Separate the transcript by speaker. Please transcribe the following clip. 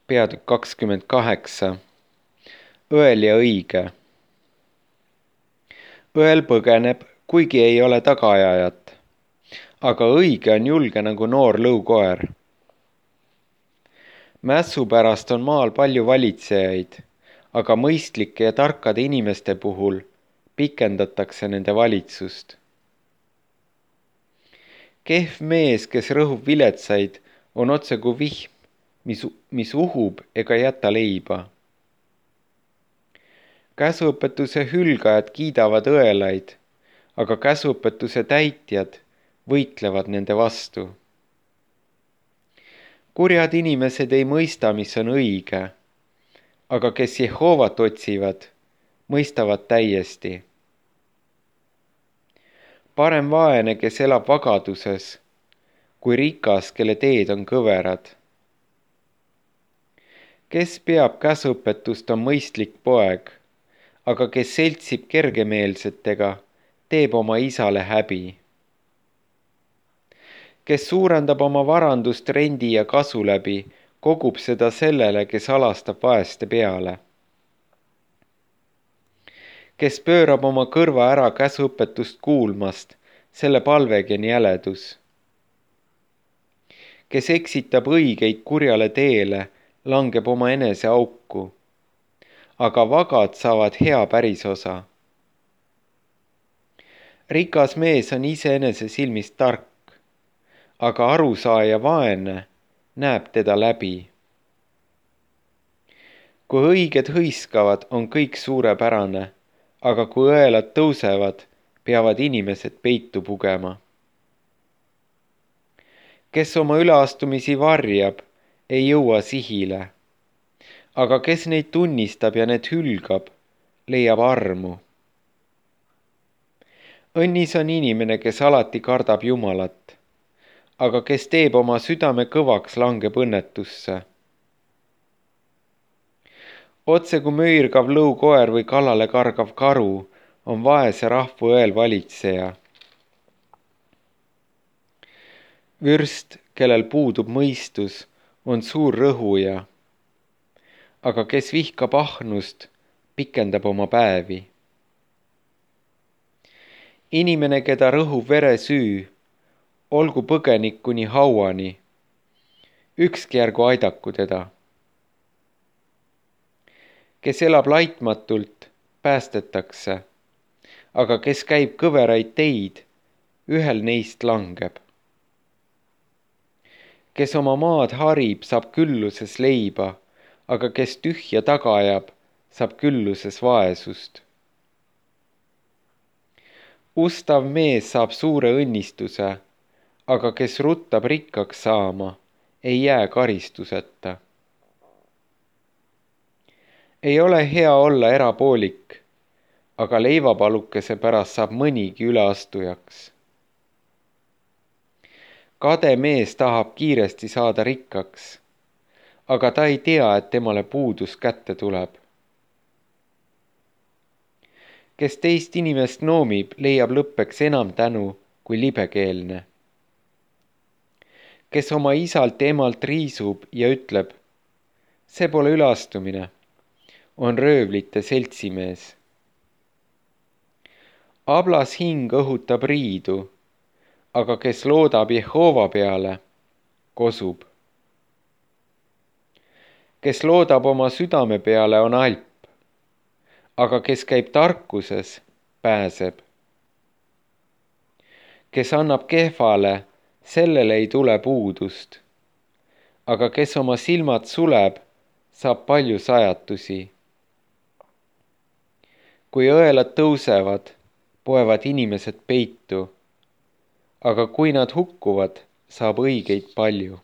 Speaker 1: Peatükk 28. Õel ja õige. Õel põgeneb, kuigi ei ole tagaajajat, aga õige on julge nagu noor lõukoer. Mässu pärast on maal palju valitsejaid, aga mõistlike ja tarkade inimeste puhul pikendatakse nende valitsust. Kehv mees, kes rõhub viletsaid, on otse kui vihm, mis uhub ega jäta leiba. Käsuõpetuse hülgajad kiidavad õelaid, aga käsuõpetuse täitjad võitlevad nende vastu. Kurjad inimesed ei mõista, mis on õige, aga kes Jehoovat otsivad, mõistavad täiesti. Parem vaene, kes elab vagaduses, kui rikas, kelle teed on kõverad. Kes peab käsuõpetust, on mõistlik poeg, aga kes seltsib kergemeelsetega, teeb oma isale häbi. Kes suurendab oma varandust rendi ja kasu läbi, kogub seda sellele, kes alastab vaeste peale. Kes pöörab oma kõrva ära käsuõpetust kuulmast, selle palvegi on jäledus. Kes eksitab õigeid kurjale teele, langeb oma enese auku, aga vagad saavad hea pärisosa. Rikas mees on iseenese silmist tark, aga arusaaja vaene näeb teda läbi. Kui õiged hõiskavad, on kõik suurepärane, aga kui õelad tõusevad, peavad inimesed peitu pugema. Kes oma üleastumisi varjab, ei jõua sihile, aga kes neid tunnistab ja need hülgab, leiab armu. Õnnis on inimene, kes alati kardab Jumalat, aga kes teeb oma südame kõvaks, langeb õnnetusse. Otse kui möirgav lõukoer või kallale kargav karu, on vaese rahva õel valitseja. Vürst, kellel puudub mõistus, on suur rõhuja, aga kes vihkab ahnust, pikendab oma päevi. Inimene, keda rõhub veresüü, olgu põgenik kuni hauani, ükski ärgu aidaku teda. Kes elab laitmatult, päästetakse, aga kes käib kõveraid teid, ühel neist langeb. Kes oma maad harib, saab külluses leiba, aga kes tühja taga ajab, saab külluses vaesust. Ustav mees saab suure õnnistuse, aga kes ruttab rikkaks saama, ei jää karistuseta. Ei ole hea olla erapoolik, aga leivapalukese pärast saab mõnigi üleastujaks. Kade mees tahab kiiresti saada rikkaks, aga ta ei tea, et temale puudus kätte tuleb. Kes teist inimest noomib, leiab lõppeks enam tänu kui libekeelne. Kes oma isalt ja emalt riisub ja ütleb, see pole üleastumine, on röövlite seltsimees. Ablas hing õhutab riidu, aga kes loodab Jehova peale, kosub. Kes loodab oma südame peale, on alp, aga kes käib tarkuses, pääseb. Kes annab kehvale, sellele ei tule puudust, aga kes oma silmad suleb, saab palju sajatusi. Kui õelad tõusevad, poevad inimesed peitu, aga kui nad hukkuvad, saab õigeid palju.